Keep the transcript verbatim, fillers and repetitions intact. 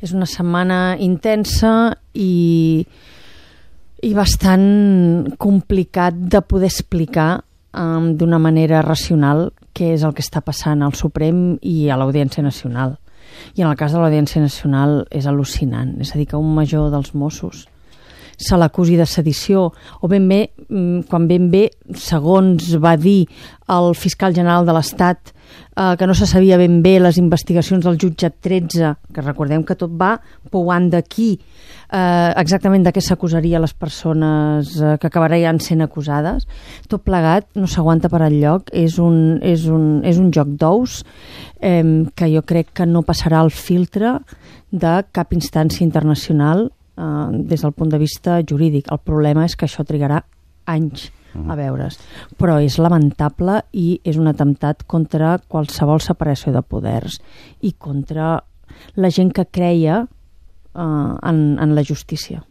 És una setmana intensa i, i bastant complicat de poder explicar um, d'una manera racional què és el que està passant al Suprem i a l'Audiència Nacional. I en el cas de l'Audiència Nacional és al·lucinant. És a dir, que un major dels Mossos se l'acusi de sedició, o ben bé, quan ben bé, segons va dir el fiscal general de l'Estat, eh, que no se sabia ben bé les investigacions del jutjat tretze, que recordem que tot va pouant d'aquí, eh, exactament de què s'acusaria les persones eh, que acabarien sent acusades. Tot plegat no s'aguanta per enlloc, és un, és un, és un joc d'ous eh, que jo crec que no passarà el filtre de cap instància internacional Uh, des del punt de vista jurídic. El problema és que això trigarà anys a veure's, però és lamentable i és un atemptat contra qualsevol separació de poders i contra la gent que creia uh, en, en la justícia.